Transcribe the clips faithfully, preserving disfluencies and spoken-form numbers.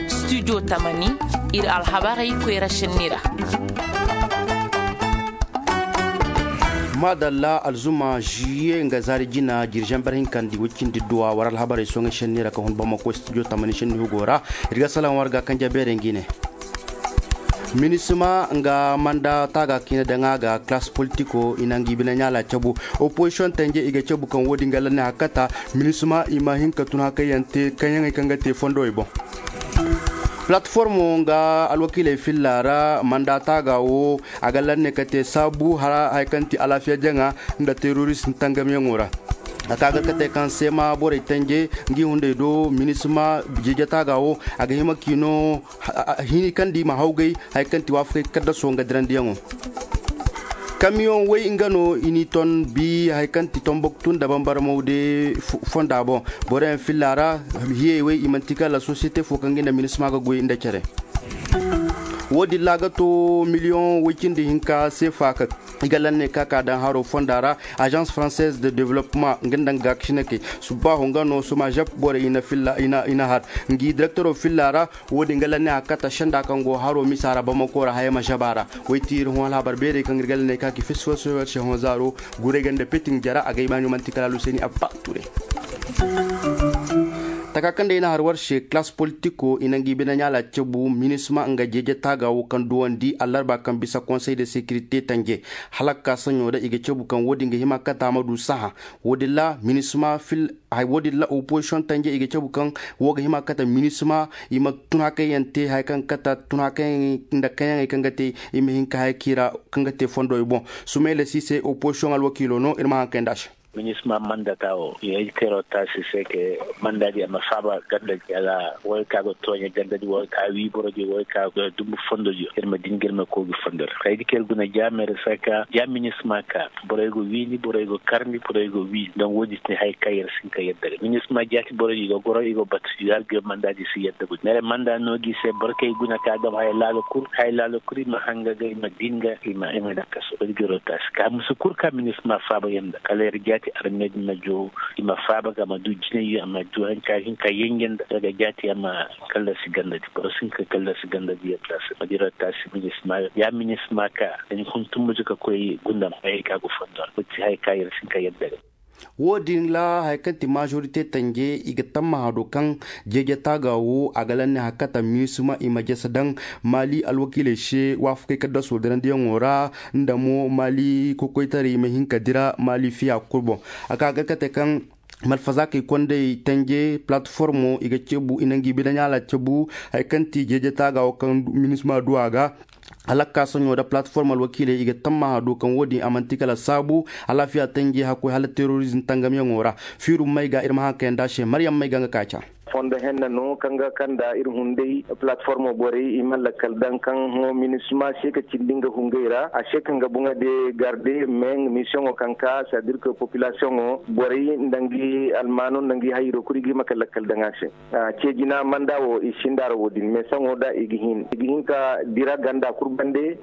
Studio tamani, iri alhabarey koyra senni ra. Madalla, alzuma juillet nga zaari jina jirjamber hinkandi wicindi duwa war alhabarey soŋay senni ra ka hun bamako studio tamani senni hugo ra. Iri ga salaŋ war ga kanja beere ngi ne. Minisma nga manda taaga kiina daŋ a ga classe politico i na ngi bine ɲaala cabu. Opposition tanje i ga cabu kaŋ wo- din ga lanne hakkata. Minisma i ma hin ka tun hakayante kaŋ yaŋey kaŋ ga te fondowey boŋ. Platformo nga alwakiiley filla ra manda taaga wo a ga lanne ka te saabu hara hari kaŋ ti alaafiya jaŋa nda terorist tangamyaŋo ra. A ka ga kate kaŋ seema borey tanje ngi hunday do minisma jeejataaga wo a ga hima k'i no hini kaŋ di ma hawgay hari kaŋ ti waafakay kaddaso nga dirandiyaŋo. Kamiyoŋ way nga no i n'i ton bi hari kaŋ ti tombok tun da bambara mawde fonda boŋ. Boroyaŋ filla ra hiyey way i manti kala sosiyete fo kaŋ ga i na minisma ga goy nda care. Wo- din ra ga to miliyoŋ way cindi hinka seefa ka i ga lanne ka ka daŋ haro fonda ra. Agence française de développement nga nda nga ga kasinakey subbaaho nga no soma jap borey i na har ngi direktoro filla ra. Wo- din ga lanne a kata senda kaŋ go haro misa ra bamako ra haya ma jaba ra. Way ti iri hõ alhabar beerey kaŋ iri ga lanne ka ki fesifoso se hõ zaaro guray ganda petin jara a ga ibaani manti kala luseni abba ture. Taka kaŋ day na har war se classe politico i na ngi bine ɲaala cabu minisma nga jeeje taaga wo kaŋ duwandi allarba kaŋ bisa conseil de sécurité tanje. Hala ka saɲo da i ga cabu kaŋ wo- din ga hima kata ma du saha. Wo- din ra minisma fil hay wo- din ra opposition tanje i ga cabu kaŋ wo ga hima kata minisma i ma tun hakayyaŋ te hari kaŋ kata tun hakayyaŋ nda kaŋyaŋey kaŋ ga te i ma hin ka hari k'i ra kaŋ ga te fondo i boŋ. Sumayla sise opposition alwakiilo no iri ma haŋ kay nda a se. Minisma mandata wo i ay kero taasi se ke mandadi a ma faaba ganda jala wo ay ka ga tooɲe ganda di wo ay ka wi boro di wo ay ka ga dumbu fondo di iri ma din ga iri ma koogi fondo ra kay ga kero guna jaamere saka jaaminisma ka borey go wiini borey go karni borey go wiini donc wo- din ti hari kaŋ iri si hin ka yadda ga minisma jaati borey i go goro i go batu i go har ga manda di si yadda gude mere manda no gi se boro kaŋ i guna ka gama hari laalo kulu hari laalo kulu i ma hanga ga i ma dinga i ma i ma daŋ kaso iri ga iri wo taasi ka musu kulu kaŋ minisma faaba yaŋ da kala iri jaati arme din ma joo i ma faaba ga a ma du jinay a ma du hari kaŋ a ga hin ka yanjanda daga jaati a ma kallasi ganda di boro si hin ka kallasi ganda di yadda se ma dira taasi minisma ya minisma ka da ni hun tumbuji ka koy gundam hayey ka go fondo ra wo- din ti hari kaŋ iri si hin ka yadda ga. Wo- din ra hari kaŋ ti majorité tanje i ga tammaha do kaŋ jeeje taaga wo a ga lanne hakkata minisma i ma jese daŋ maali alwakiiley se waafakey kaddaso dirandiyaŋo ra nda mo maali kokoytaray i ma hin ka dira maali fiya kulu boŋ. A ka ga kate kaŋ malfazaakey kondey tanje platformo i ga cabu i na ngi bine ɲaala cabu hari kaŋ ti jeeje taaga wo kaŋ minisma du a ga. Hala ka soɲo nda platform alwakiiley i ga tammaha do kaŋ wo- din a manti kala saabu alaafiya tanji hakkoy hala terrorism tangamyaŋo ra. Fiiru may ga iri ma haŋ kayanda se maryam may ga nga ka ca. Fondo henne no kaŋ ga kanda iri hunday platformo borey i ma lakkal daŋ kaŋ hõ minisma se ka cindi nga hungey ra a se kaŋ ga boŋo de garde meŋ misiyoŋo kaŋ ka sadirka populasiyoŋo borey nda ngi almaano nda ngi hayro kulu i ga hima ka lakkal daŋ a se. Ceejina manda wo i sinda ra wo- din mais saŋo da i ga hin i ga hin ka dira ganda kulu bande.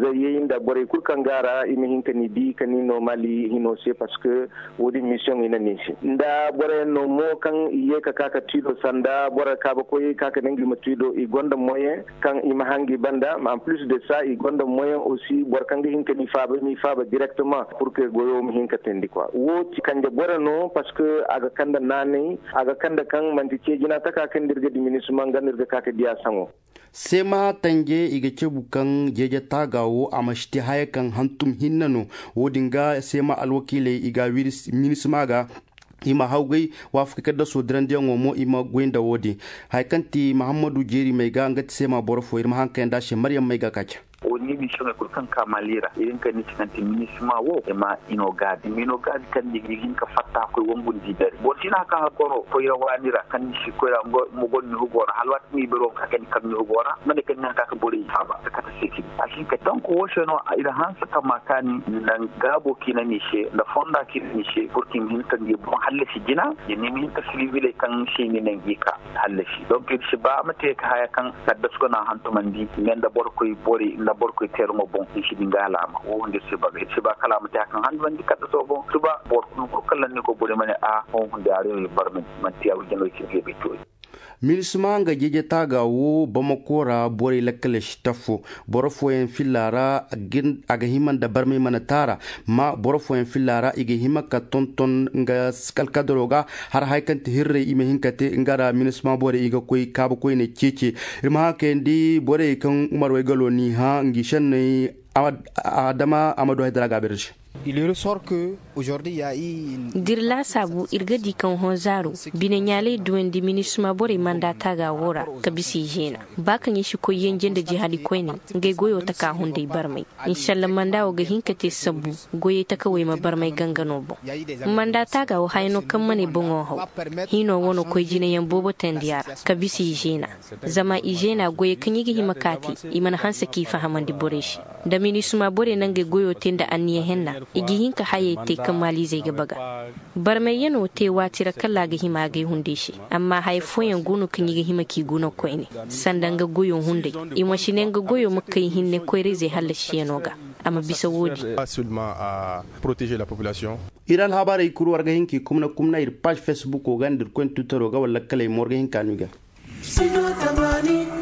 Zayyey nda borey kulu kaŋ ga a ra i ma hin ka ni di ka ni no mali hino se parce que wo- din mission i na ni se nda boroyaŋ no mo kaŋ i ye ka ka ka tiido sanda boro kaabakoyey ka ka nangu i ma tiido i gonda moyen kaŋ i ma hangu i banda mais en plus de ça i gonda moyen aussi boro kaŋ ga hin ka ni faaba ni faaba directement pour que goyo ma hin ka teendi quoi wo ti kanje boro no parce que a ga kande naanay a ga kande kaŋ manti ceejina taka kaŋ da iri ga diminisma nga no iri ga ka ka diya saŋo. Seema tanje i ga cabu kaŋ jeeje taaga wo a ma si te haya kaŋ hantum hinne no. Wo- din ga seema alwakiiley i ga a wiri minisma ga i ma hawgay waafakey kaddaso dirandiyaŋo mo i ma goy nda wo- din. Haya kaŋ ti mahammadu jeeri may ga nga ti seema boro fo iri ma haŋ kayanda se maryam may ga ka ca. Wo- din misiyoŋey kulu kaŋ ka mali ra iri nga ni sinanti minisma wo i ma i no gaabi i ma i no gaabi kaŋ ni ga hin ka fatta koy wangu nda i dare boro si no hari kaŋ hari koro koyra waani ra kaŋ ni si koyra nga mo gonda ni hugo ra hala waati kaŋ i bero ga ka kani kaŋ ni hugo ra ma ne kaŋ ni haŋ ka ka borey faaba ka kate se cine a si hin ka tanku wo se no iri hanse kaŋ ma kaani nda gaabo kaŋ i na ni se nda fonda kaŋ i na ni se pour que i ma hin ka ngi boŋ hallasi jina. Jina i ma hin ka silibiley kaŋ se ni ne ngi ka hallasi donc iri si ba a ma te ka haya kaŋ kaddasu ga no a hantumandi me nda boro koy bori nda boro koy teeraŋo boŋ iri si di nga alaama wo hunde iri si ba ga iri si ba kala a ma te hari kaŋ hantumandi kaddaso boŋ suba boro kulu kulu kaŋ lanni koy bori ma ne a wo hunde a reewo iri barmandi manti ya wujano iri si di ga bay toori. Minisma nga jeje taaga wo bamako ra borey lakkale si tafo. Boro fooyaŋ filla ra a ga hima nda barmay mana taara. Ma boro fooyaŋ filla ra i ga hima ka tonton nga alkadaro ga har hari kaŋ ti hirrey i ma hin ka te nga ra minisma borey i ga koy kaabu koyne ceece. Iri ma haŋ kayandi borey kaŋ umar waygalo n'i hã ngi senney. Adama a ma du haydara ga a beere se. D'iri laasaabu iri ga di kaŋ hõ zaaro bine ɲaaley duwandi minisma borey manda taaga wo ra ka bisa i zeena. Ba kaŋ i si koy yanje nda jihadi koyne ngey goyo taka hunday barmay. Insalla manda wo ga hin ka te sabbu goyey takawey ma barmay gangano boŋ. Manda taaga wo haya no kaŋ ma ne boŋo haw. Hiino wano koy jinayaŋ boobo teendi a ra ka bisa i zeena. Zama i zeena goyey kaŋ i ga hima ka te i mana hanse k'i fahamandi borey se. Da minisma borey na ngey goyo te nda anniya henna i ga hin ka hayey te kaŋ maaliizey ga baga. Barmayyano te waati ra kala a ga hima agay hunday se. Amma haya fooyaŋ go no kaŋ i ga hima k'i guna koyne sanda nga goyo hunday. I ma si ne nga goyo ma kay hinne koyrayzey hallasiyano ga. A ma bisa wo-din. Iri alhabarey kulu war ga hin k'i kumna kumna iri paazi fesbuko ga nda iri koyne tuttaro ga wala lakkaley mo war ga hin ka no i ga.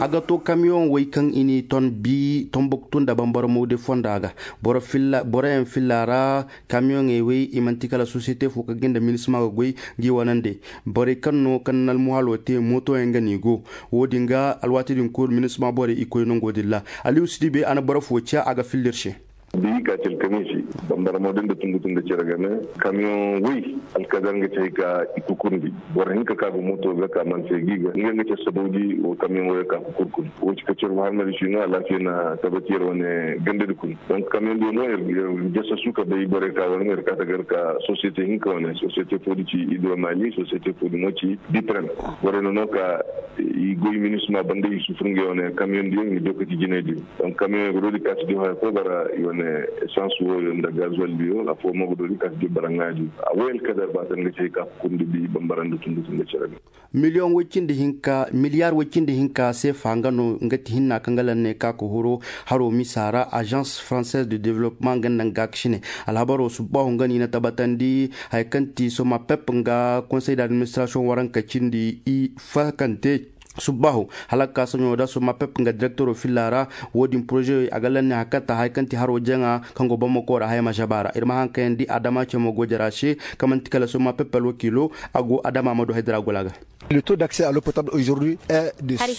A ga to kamiyoŋ way kaŋ i n'i ton bi tombuktu nda bambara mawde fonda ga. Boroyaŋ filla ra kamiyoŋey way i manti kala sosiyete fo kaŋ ga nda minisma ga goy. Ga i wanandi borey kaŋ no kaŋ na almuhalo te mootoyaŋ ga no i go. Wo-din ga alwaati din kulu minisma borey i koy nango din ra. Aliyu sidibe a na boro fo ciya a ga filla iri se. Da i ka ci alkamiisi bambara mo din da tungu tungu cere game. Kamiyoŋ way alkadar nga ci hay ka i kukurndi. Boro hinka ka ga mooto ga ka mana se ga i ga nga nga ci sabaudi wo kamiyoŋ way ka kukurkun wo ci ka cere wo harmari si no alaafiya na tabati yar wane ganda da kun. Donk kamiyoŋ din no yar jasa su ka bay borey ka wane yar ka tagar ka sosiyete hinka wane sosiyete fo da ci ido mali sosiyete fo da mo ci bitrem. Borey no no ka i goy minisma banda i sufur nga wane kamiyoŋ din i do ka ci jinay din. Donk kamiyoŋ ga do din ka ci din haya ko bara i wane essence wo nda gazuwal din afo mo ga do din ka ci din bara nga din a wayal kadar ba tan ga ci hay ka kundi bi bambara nda tundu tundu cere din. Miliyoŋ way cindi hinka miliyaar way cindi hinka seefa nga no nga ti hinna kaŋ ga lanne ka ga huro haro misa ra agence française de développement nga nda nga ga ga sine. Alhabaro subbaahu nga no i na tabatandi haya kaŋ ti soma pep nga konsey d'administration waranka cindi i fakante. Subbaahu hala ga ka soɲo da soma pep nga direktoro filla ra. Wo- din poroze a ga lanne hakatta haya kaŋ ti haro jaŋa kaŋ go bamako ra haya ma zaba ra iri ma haŋ kayandi adama cemo go jara se kaŋ manti kala soma pep alwakiilo. A go adama ma du haydara gola ga. Hari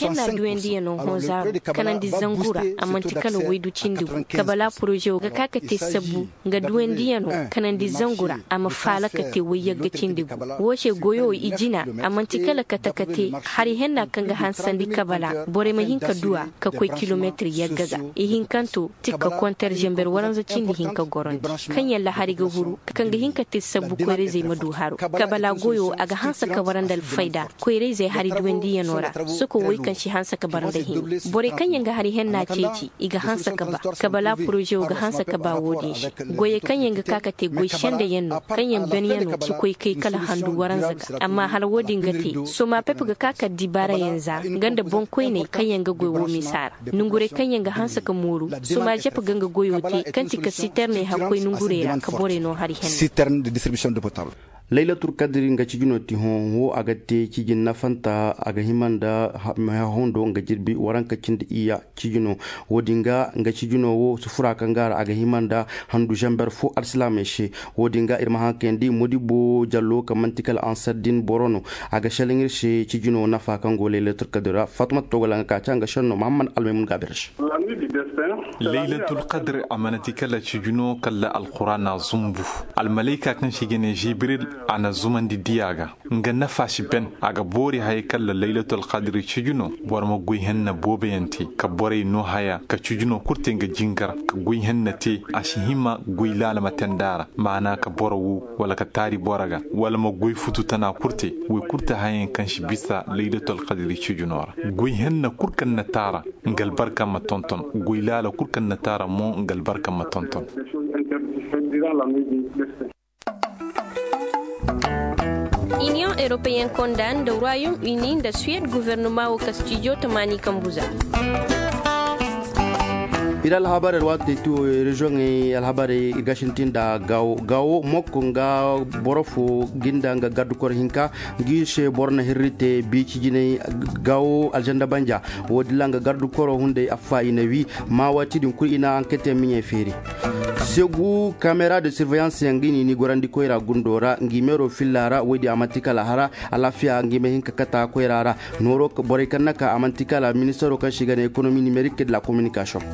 henna duwandiyano hõ zaaro kanandi zangu ra a manti kala waydu cindi gu kabala poroze wo ga ka ka te sabbu nga duwandiyano kanandi zangu ra a ma faala ka te wayyagga cindi gu. Wo se goyo i jina a manti kala kate kate hari henna kaŋ ga hansandi kabala borey ma hin ka duwa ka koy kilometir yagga ga. Ihinkanto tikka konter zember waranza cindi hinka gorondi kaŋ yaŋ lahari ga huru kaŋ ga hin ka te sabbu koyrayzey ma du haro kabala goyo a ga hanse ka bara nda alfayda. Koyrayzey hari duwandiyano ra soko woy kaŋ si hanse ka bara nda hinne borey kaŋ yaŋ ga hari henna ceeci i ga hanse ka ba kabala poroze wo ga hanse ka ba wo-din se. Goyey kaŋ yaŋ ga ka ka te goy senda yaŋ no kaŋ yaŋ banyano si koy kay kala handu waranza ga amma hala wo-din ga te soma pep ga ka ka dibaara yaŋ za nga nda boŋkoyney kaŋ yaŋ ga goy wo misa ra. Nongurey kaŋ yaŋ ga hanse ka mooru soma zep ga nga goyo te kaŋ ti ka siterney hakkoy nongurey ra ka borey no hari henna. Laylatul kadiri nga cijino ti hõ wo a ga te cijin nafanta a ga hima nda mehahundo nga jirbi waranka cindi iyya. Cijino wo-din ga nga cijino wo sufura kaŋ ga ra a ga hima nda handu zamber fo alsilaamey se. Wo-din ga iri ma haŋ kayandi modibo jallo kaŋ manti kala ansar din boro no a ga selaŋ iri se cijino nafa kaŋ go laylatul kadiri ra fatumata togola nga ka ca nga senno mahammad almaymun ga a bere se. Laylatul kadiri a mana ti kala cijino kala alqur'ana zumbu. Almalayka kaŋ se i ga ne jibril a na zumandi diya ga. Nga nafa si ben a ga boori haya kala laylatul kadiri cijino. Boro ma goy henna boobo yaŋ te ka borey no haya ka cijino kulu te nga jingar ka goy henna te a si hima goy laala ma tenda ra maana ka boro wu wala ka taari boro ga wala ma goy futu tana kulu te. Woy kulu te hayaŋ kaŋ si bisa laylatul kadiri cijino ra. Goy henna kulu kaŋ na taara nga albarka ma tonton. Goy laala kulu kaŋ na taara mo nga albarka ma tonton. Iniyoŋ europeyen konda nda royaume uni nda suwed guvernama wo kastijo tamaani kambu za. Iri alhabarey alwaati te ti wo reziyoŋey alhabarey iri ga sintin nda gaawo gaawo mokko nga boro fo ginda nga garde koro hinka. Nga iri se boro na hirri te biici jinay gaawo alzanda banja. Wo- din ra nga garde koro hunday affa i na wi. Maawaati din kulu i na anketey miɲey feeri. Segu kamera de sirveyanse yaŋ ga i na i ni gorandi koyra gundo ra nga i meero filla ra wo- din a manti kala hara. Alaafiya nga i ma hin ka kata koyra ra. Nooro borey kaŋ na ka a manti kala ministaro kaŋ se i ga ne ekonomi nimerik de la kominikasiyoŋ.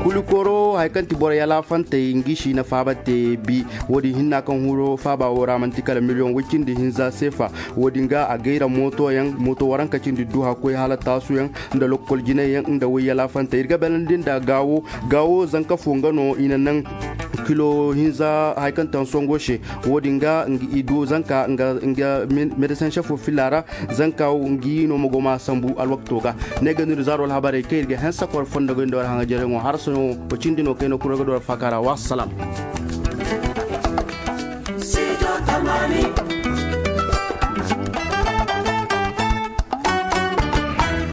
Kuli kooro hari kaŋ ti borey alaafantey nga i si i na faaba te bi. Wo- din hinna kaŋ huro faaba wo ra manti kala miliyoŋ way cindi hinza seefa. Wo- din ga a gayra mooto yaŋ mooto waranka cindi duha koy hala taasu yaŋ nda lokkol jinay yaŋ nda way alaafantey iri ga beerandi nda gaawo. Gaawo zanka fo nga no i na naŋ kilo hinza hari kaŋ taŋ songo se. Wo- din ga i du zanka nga medesaŋ sefo filla ra. Zanka nga i no ma go ma sambu alwakto ga. Ne ga no iri zaaro alhabarey kaŋ iri ga hanse kor fondo ga nda war haŋajereŋo harsaŋo. Wa cindi no kayna kuro ga do war faaka ra wa salaam.